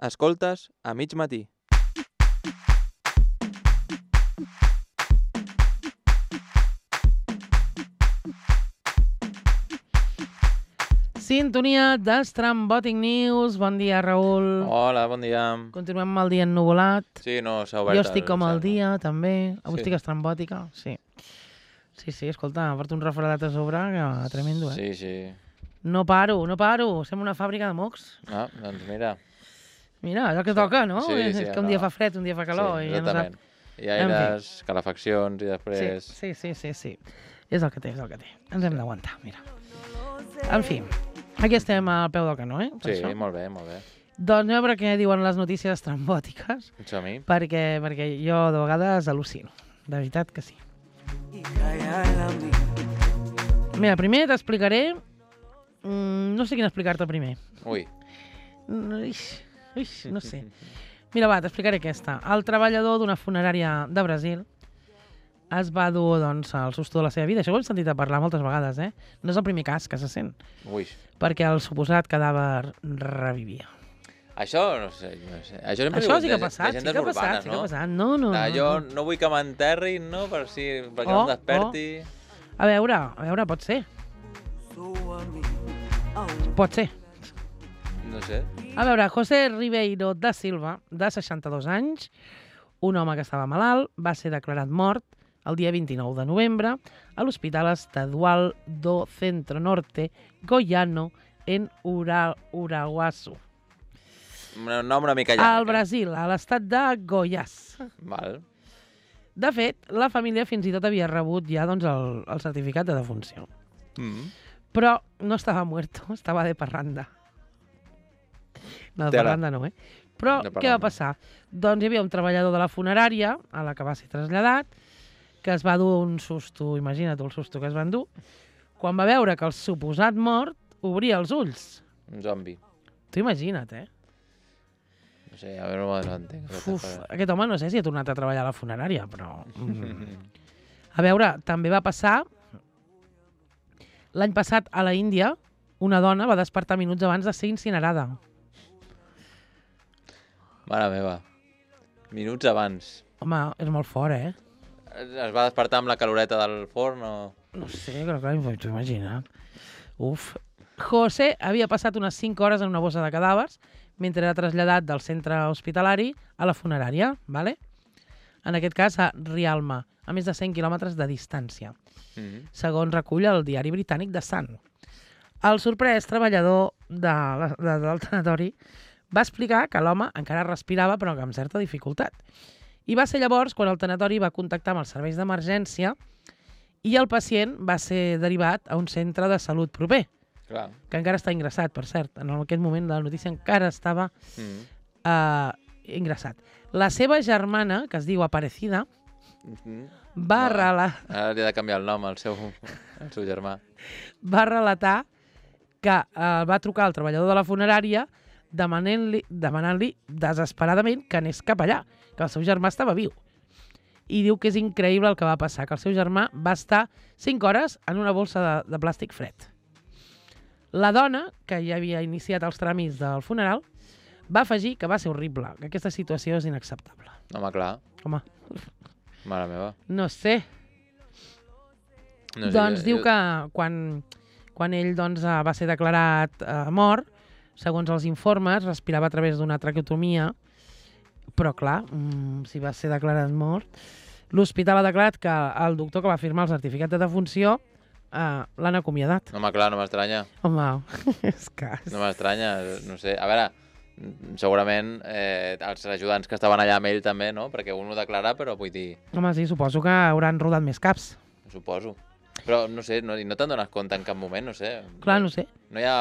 Escoltes a mig matí. Sintonia d'Estrambòtic News. Bon dia, Raül. Hola, bon dia. Continuem amb el dia ennuvolat. Sí, no s'ha obert. Jo estic com el dia, també. Avui Sí. estic estrambòtica, sí. Sí, escolta, porto un refredat a sobre que tremendo, Sí, sí. No paro. Sembla una fàbrica de mocs. Ah, doncs mira. Mira, és el que toca, no? Sí, És que un dia fa fred, un dia fa calor. Sí, I ja no exactament. sap. I aires, calefaccions i després... Sí. És el que té, Ens hem d'aguantar, mira. En fi, aquí estem al peu del canó, Per Sí, això. molt bé, molt bé. Doncs anem a veure què diuen les notícies estrambòtiques, Som-hi. perquè jo de vegades al·lucino. De veritat que sí. Mira, primer t'explicaré... no sé quin explicar-te primer. Ui. No sé. Mira, va, t'explicaré aquesta. El treballador d'una funerària de Brasil es va dur, doncs, el susto de la seva vida. Això ho hem sentit a parlar moltes vegades, No és el primer cas que se sent, Ui. perquè el suposat cadàver revivia. Això, no sé. Això sempre Això diuen sí que ha de passat, llegendes urbanes, no? No. Jo no vull que m'enterrin, no? Perquè no em desperti. A veure, pot ser. Pot ser. No sé. A veure, José Ribeiro da Silva, de 62 anys, un home que estava malalt, va ser declarat mort el dia 29 de novembre a l'Hospital Estadual do Centro Norte Goiano en Uraguaçu, Un nom una mica llarg. al Brasil, a l'estat de Goiás. Val. De fet, la família fins i tot havia rebut ja doncs, el certificat de defunció. Però no estava muerto, estava de parranda. No, de parranda no, Però què va passar? Doncs hi havia un treballador de la funerària, a la que va ser traslladat, que es va dur un susto, imagina't el susto que es van dur, quan va veure que el suposat mort obria els ulls. Un zombi. Tu imagina't, No sé, a veure, no entenc. Aquest home no sé si ha tornat a treballar a la funerària, però... A veure, també va passar... L'any passat, a la Índia, una dona va despertar minuts abans de ser incinerada. Mare meva. Minuts abans. Home, és molt fort, Es va despertar amb la caloreta del forn o...? No sé, clar, t'ho imagina't. Uf. José havia passat unes 5 hores en una bossa de cadàvers mentre era traslladat del centre hospitalari a la funerària, ¿vale? En aquest cas a Rialma, a més de 100 quilòmetres de distància, segons recull el diari britànic The Sun. El sorprès treballador del tanatori va explicar que l'home encara respirava, però que amb certa dificultat. I va ser llavors quan el tanatori va contactar amb els serveis d'emergència i el pacient va ser derivat a un centre de salut proper, Clar. que encara està ingressat, per cert. En aquest moment de la notícia encara estava ingressat. La seva germana, que es diu Aparecida, va relatar... Ara li ha de canviar el nom al seu germà. Va relatar que va trucar al treballador de la funerària demanant-li desesperadament que anés cap allà, que el seu germà estava viu. I diu que és increïble el que va passar, que el seu germà va estar 5 hores en una bossa de plàstic fred. La dona, que ja havia iniciat els tràmits del funeral, va afegir que va ser horrible, que aquesta situació és inacceptable. Home, clar. Home, Mare meva. no sé. No sé, Doncs diu que quan ell doncs, va ser declarat mort, segons els informes, respirava a través d'una traqueotomia, però clar, si va ser declarat mort, l'hospital ha declarat que el doctor que va firmar el certificat de defunció l'han acomiadat. Home, clar, no m'estranya. Home, és que... No m'estranya, no sé. A veure, segurament els ajudants que estaven allà amb ell també, no? Perquè un ho declara, però vull dir... Home, sí, suposo que hauran rodat més caps. Suposo. Però no sé, no te'n dones compte en cap moment, no sé. Clar, no sé. No hi ha...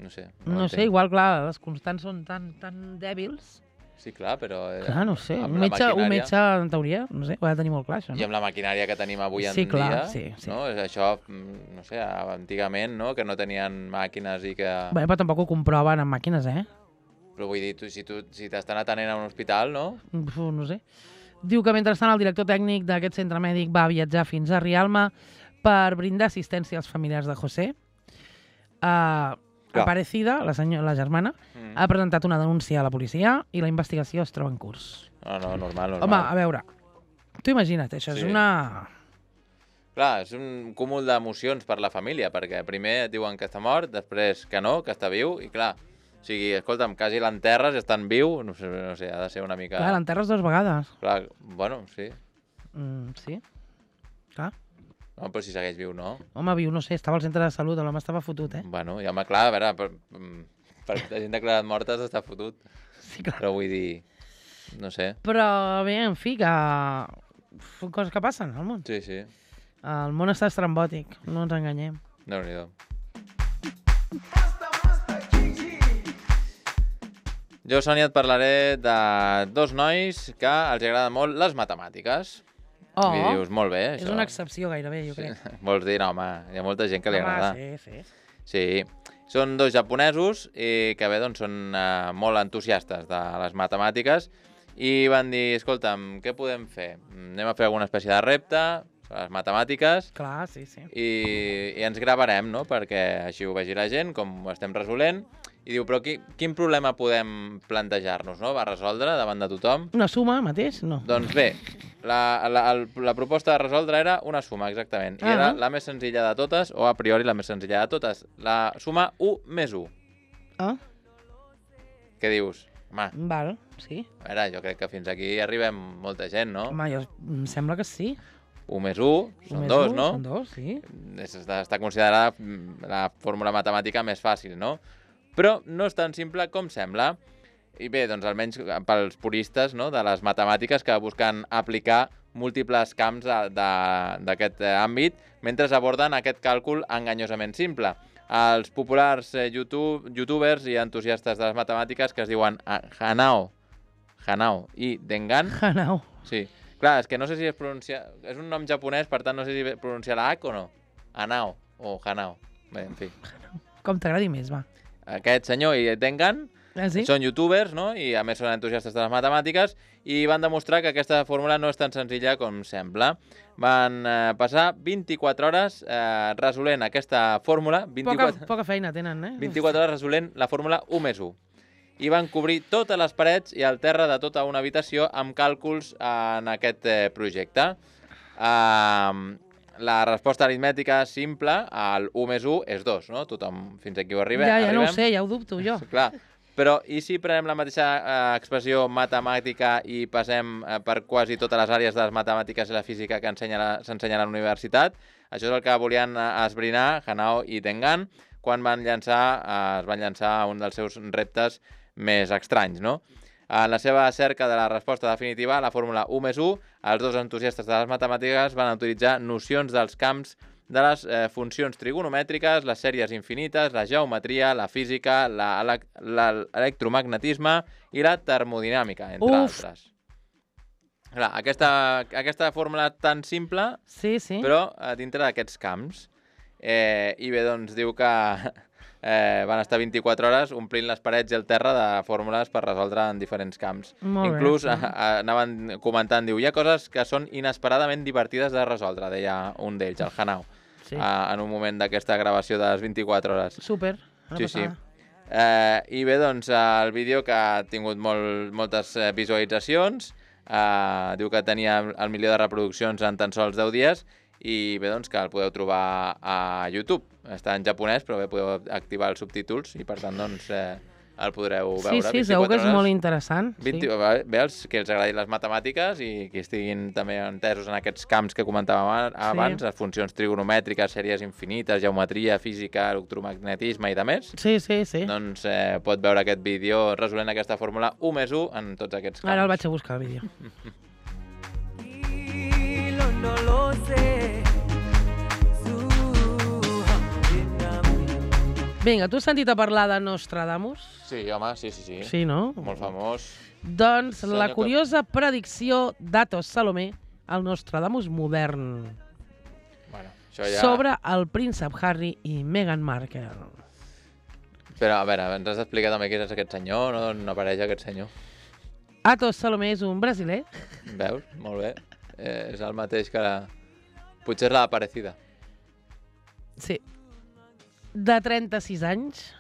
No sé. No sé, igual, clar, les constants són tan dèbils. Sí, clar, però... Clar, no sé. amb Un la metge, maquinària- en teoria, no sé, ho ha de tenir molt clar, això, I no? amb la maquinària que tenim avui en Sí, clar, dia, sí. no? Això, no sé, antigament, no? Que no tenien màquines i que... Bé, però tampoc ho comproven amb màquines, Però vull dir, si t'estan atenent a un hospital, no? No sé. Diu que mentrestant el director tècnic d'aquest centre mèdic va viatjar fins a Rialma per brindar assistència als familiars de José. Clar. Aparecida, la germana, ha presentat una denúncia a la policia i la investigació es troba en curs. No, normal. Home, a veure, tu imagina't, això és una... Clar, és un cúmul d'emocions per la família, perquè primer et diuen que està mort, després que no, que està viu, i clar, o sigui, escolta'm, quasi l'enterres i estan viu, no sé, ha de ser una mica... Clar, l'enterres 2 vegades. Clar, bueno, sí. Sí, clar. No, però si segueix viu, no? Home, viu, no sé, estava al centre de salut, l'home estava fotut, eh? Bueno, i home, clar, a veure, per la gent declarat morta està fotut. Sí, clar. Però vull dir, no sé. Però bé, en fi, que són coses que passen al món. Sí, sí, El món està estrambòtic, no ens enganyem. Déu-n'hi-do. Jo, Sònia, et parlaré de dos nois que els agrada molt les matemàtiques. Oh, I dius, molt bé, és això. una excepció gairebé, jo crec. Vols dir, no, home, hi ha molta gent que li agrada. Home, sí. Sí, són dos japonesos i que bé, doncs són molt entusiastes de les matemàtiques i van dir, escolta'm, què podem fer? Anem a fer alguna espècie de repte sobre les matemàtiques Clar, sí. i ens gravarem, no?, perquè així ho vegi la gent, com ho estem resolent. I diu, però quin problema podem plantejar-nos, no?, va resoldre davant de tothom? Una suma mateix? No. Doncs bé, la proposta de resoldre era una suma, exactament. I era la més senzilla de totes, o a priori la més senzilla de totes, la suma 1 més 1. Ah, Què dius? Home, val, sí. a veure, jo crec que fins aquí arribem molta gent, no? Home, em sembla que sí. 1 més 1 són 2, no? Són 2, sí. Està considerada la fórmula matemàtica més fàcil, no? Però no és tan simple com sembla. I bé, doncs almenys pels puristes, no?, de les matemàtiques que busquen aplicar múltiples camps d'aquest àmbit mentre aborden aquest càlcul enganyosament simple. Els populars youtubers i entusiastes de les matemàtiques que es diuen Hanao i Dengan. Hanao. Sí. Clar, és que no sé si es pronuncia... És un nom japonès, per tant no sé si pronuncia la H o no. Hanao o Hanao. Bé, en fi. Com t'agradi més, va. Aquest senyor i Dengan Sí? són youtubers, no?, i a més són entusiastes de les matemàtiques i van demostrar que aquesta fórmula no és tan senzilla com sembla. Van passar 24 hores resolent aquesta fórmula. Poca feina tenen, eh? 24 hores resolent la fórmula 1 més 1. I van cobrir totes les parets i el terra de tota una habitació amb càlculs en aquest projecte. La resposta aritmètica simple al 1 més 1 és 2, no? Tothom fins aquí ho arribem. Ja no ho sé, ja ho dubto jo. Clar, però i si prenem la mateixa expressió matemàtica i passem per quasi totes les àrees de les matemàtiques i la física que s'ensenya a la universitat? Això és el que volien esbrinar Hanao i Dengan quan es van llançar a un dels seus reptes més estranys, no? En la seva cerca de la resposta definitiva a la fórmula 1 més 1, els dos entusiastes de les matemàtiques van utilitzar nocions dels camps de les funcions trigonomètriques, les sèries infinites, la geometria, la física, l'electromagnetisme i la termodinàmica, entre altres. Clar, aquesta fórmula tan simple, però dintre d'aquests camps. I bé, doncs diu que van estar 24 hores omplint les parets i el terra de fórmules per resoldre en diferents camps. Inclús anaven comentant, diu, hi ha coses que són inesperadament divertides de resoldre, deia un d'ells, el Hanao, en un moment d'aquesta gravació de les 24 hores. Súper, una passada. I bé, doncs, el vídeo que ha tingut moltes visualitzacions, diu que tenia el milió de reproduccions en tan sols 10 dies, i bé, doncs, que el podeu trobar a YouTube. Està en japonès, però bé, podeu activar els subtítols i, per tant, doncs, el podreu veure. Sí, segur que és molt interessant. Bé, els que els agradin les matemàtiques i que estiguin també entesos en aquests camps que comentàvem abans, les funcions trigonomètriques, sèries infinites, geometria, física, electromagnetisme i de més. Sí. Doncs pot veure aquest vídeo resolent aquesta fórmula 1 més 1 en tots aquests camps. Ara el vaig a buscar, el vídeo. No lo sé. Vinga, tu has sentit a parlar de Nostradamus? Sí, home, sí. Sí, no? Molt famós. Doncs la curiosa predicció d'Atos Salomé, el Nostradamus modern, sobre el príncep Harry i Meghan Markle. Però, a veure, ens has d'explicar també qui és aquest senyor, no apareix aquest senyor. Atos Salomé és un brasiler. Veus? Molt bé. És el mateix que potser és la Aparecida. Sí. De 36 anys.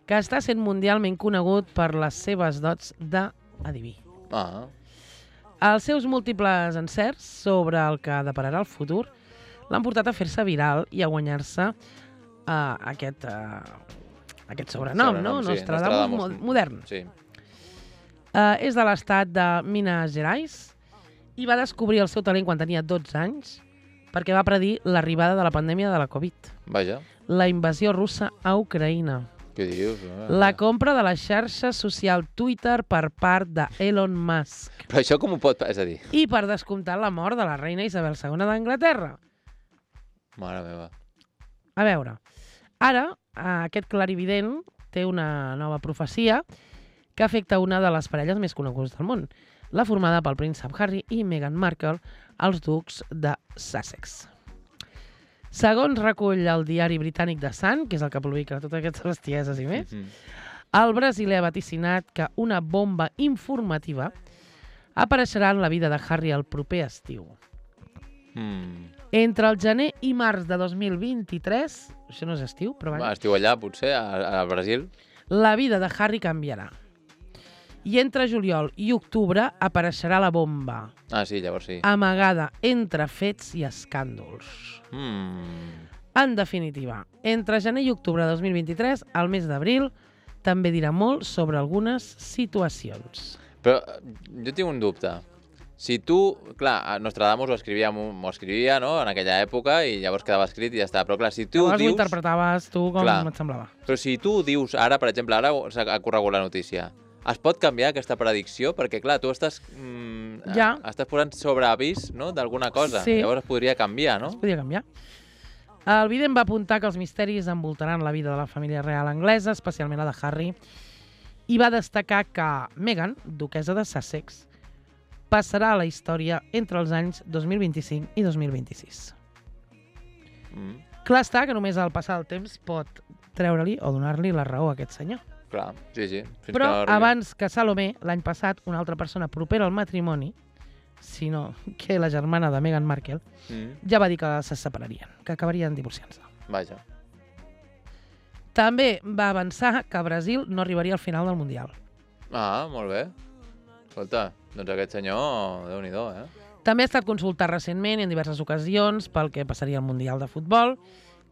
que està sent mundialment conegut per les seves dots d'adiví. Ah, Els seus múltiples encerts sobre el que depararà el futur l'han portat a fer-se viral i a guanyar-se aquest sobrenom, no? sí, Nostradamus Nostradamus modern. sí. És de l'estat de Minas Gerais i va descobrir el seu talent quan tenia 12 anys perquè va predir l'arribada de la pandèmia de la Covid, Vaja, la invasió russa a Ucraïna, què dius? la compra de la xarxa social Twitter per part d'Elon Musk Però això com ho pot... És a dir, i per descomptar la mort de la reina Isabel II d'Anglaterra. mare meva. A veure, ara aquest clarivident té una nova profecia que afecta una de les parelles més conegudes del món, la formada pel príncep Harry i Meghan Markle, els ducs de Sussex. Segons recull el diari britànic The Sun, que és el que publica totes aquestes bestieses i més, el brasiler ha vaticinat que una bomba informativa apareixerà en la vida de Harry el proper estiu. Entre el gener i març de 2023, això no és estiu, però Va, estiu allà, potser, al Brasil. la vida de Harry canviarà. I entre juliol i octubre apareixerà la bomba, Ah, sí, llavors sí. amagada entre fets i escàndols. En definitiva, entre gener i octubre de 2023, al mes d'abril, també dirà molt sobre algunes situacions. Però jo tinc un dubte. Si tu, clar, Nostradamus ho escrivia, no?, en aquella època i llavors quedava escrit i ja està. Però clar, si tu Llavors ho dius... interpretaves tu com Clar. et semblava. Però si tu dius ara, per exemple, ara ha corregut la notícia, es pot canviar aquesta predicció? Perquè, clar, tu estàs, Ja. estàs posant sobre avís, no?, d'alguna cosa. Sí. Llavors es podria canviar, no? Es podia canviar. El vident va apuntar que els misteris envoltaran la vida de la família real anglesa, especialment la de Harry, i va destacar que Meghan, duquessa de Sussex, passarà a la història entre els anys 2025 i 2026. Clar està que només el passar el temps pot treure-li o donar-li la raó a aquest senyor. Clar, sí, sí. Fins Però que no arribi. abans que Salomé, l'any passat, una altra persona propera al matrimoni, sinó que la germana de Meghan Markle, ja va dir que se separarien, que acabarien divorciant-se. Vaja. També va avançar que Brasil no arribaria al final del Mundial. Ah, molt bé. Escolta, doncs aquest senyor, Déu-n'hi-do, eh? També ha estat consultat recentment i en diverses ocasions pel que passaria al Mundial de Futbol,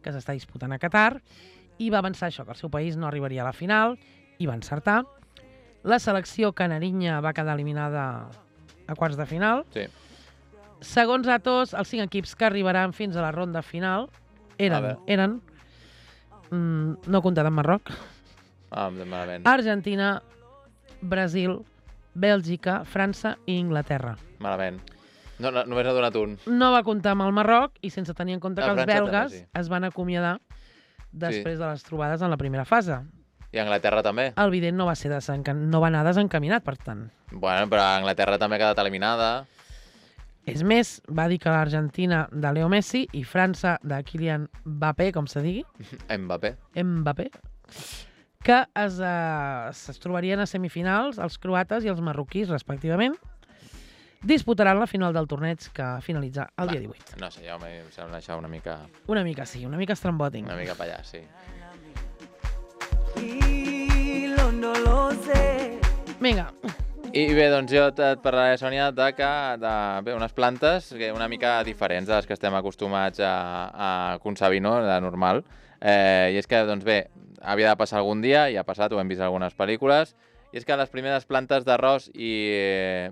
que s'està disputant a Qatar, i va avançar això, que el seu país no arribaria a la final, i va encertar. La selecció canarinya va quedar eliminada a quarts de final. Sí. Segons Atos, els 5 equips que arribaran fins a la ronda final eren no comptat amb Marroc, Malament. Argentina, Brasil, Bèlgica, França i Inglaterra. Malament. No, només ha donat un. No va comptar amb el Marroc i sense tenir en compte que els França també, belgues sí. es van acomiadar després de les trobades en la primera fase. I Anglaterra també. El vident no va ser no va anar desencaminat, per tant. Bueno, però Anglaterra també ha quedat eliminada. És més, va dir que l'Argentina de Leo Messi i França de Kylian Mbappé, com se digui, Mbappé, que es trobarien a semifinals els croates i els marroquís, respectivament, disputaran la final del torneig que finalitza el dia 18. No sé, ja em sembla això una mica... Una mica sí, una mica estrambòtic. Una mica per allà, sí. No lo sé. Vinga, I bé, doncs jo et parlaré, Sònia, de unes plantes una mica diferents de les que estem acostumats a concebir, no?, de normal. I és que, doncs bé, havia de passar algun dia, i ha passat, ho hem vist en algunes pel·lícules, i és que les primeres plantes d'arròs i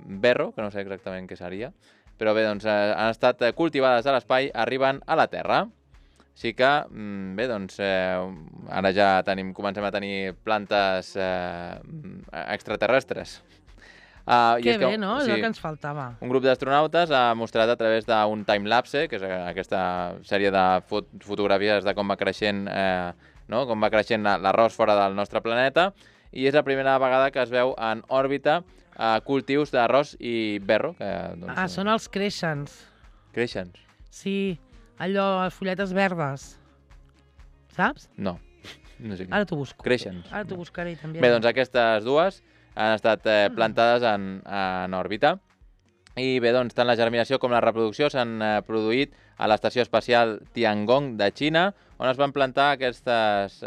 berro, que no sé exactament què seria, però bé, doncs han estat cultivades a l'espai, arriben a la Terra. Així que, bé, doncs, ara ja comencem a tenir plantes extraterrestres. que bé, no? És el que ens faltava. Un grup d'astronautes ha mostrat a través d'un timelapse, que és aquesta sèrie de fotografies de com va creixent, com va creixent l'arròs fora del nostre planeta, i és la primera vegada que es veu en òrbita cultius d'arròs i berro. Són els creixents. Creixents? Sí, allò, les fulletes verdes. Saps? No. No sé. Ara t'ho busco. Creixents. Ara t'ho buscaré també. Bé, doncs aquestes dues han estat plantades en òrbita. I bé, doncs, tant la germinació com la reproducció s'han produït a l'Estació Espacial Tiangong de Xina, on es van plantar aquestes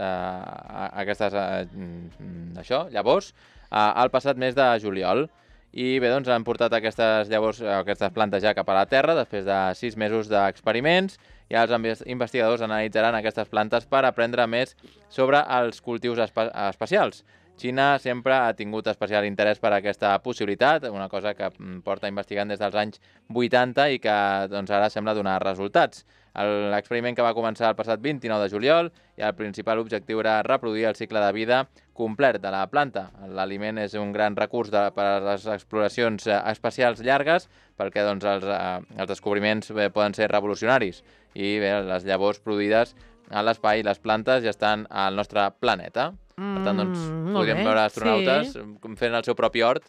llavors al passat mes de juliol. I bé, doncs han portat aquestes llavors, aquestes plantes ja cap a la Terra després de 6 mesos d'experiments, i els investigadors analitzaran aquestes plantes per aprendre més sobre els cultius espacials. Xina sempre ha tingut especial interès per aquesta possibilitat, una cosa que porta investigant des dels anys 80 i que doncs, ara sembla donar resultats. L'experiment que va començar el passat 29 de juliol i el principal objectiu era reproduir el cicle de vida complet de la planta. L'aliment és un gran recurs per a les exploracions espacials llargues, perquè doncs, els descobriments poden ser revolucionaris. I bé, les llavors produïdes a l'espai i les plantes ja estan al nostre planeta. Per tant, doncs, podríem veure astronautes fent el seu propi hort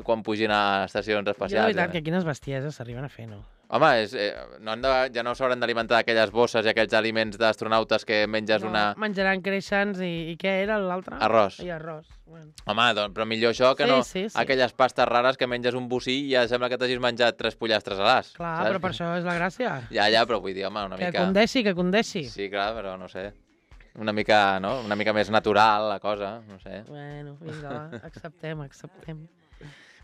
quan pugin a estacions espacials. Jo, de veritat, que quines bestieses s'arriben a fer, no? Home, ja no s'hauran d'alimentar aquelles bosses i aquells aliments d'astronautes que menges una... Menjaran creixents i què era l'altre? Arròs. I arròs. Bueno. Home, doncs, però millor això que no aquelles pastes rares que menges un bocí i ja sembla que t'hagis menjat 3 pollastres a l'as. Clar, saps? Però per això és la gràcia. Ja, però vull dir, home, una mica... Que condeixi. Sí, clar, però no sé. Una mica més natural, la cosa, no sé. Bueno, vinga, va, acceptem.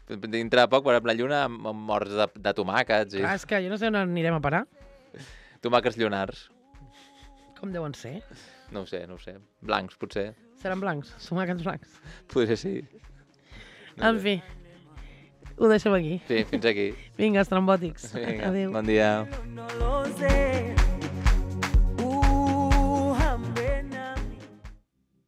Dintre de poc veurem la lluna amb morts de tomàquets. Clar, és que jo no sé on anirem a parar. Tomàquets llunars. Com deuen ser? No ho sé. Blancs, potser. Seran blancs, tomàquets blancs. Potser sí. En fi, ho deixem aquí. Sí, fins aquí. Vinga, estrambòtics. Vinga, adéu. Bon dia.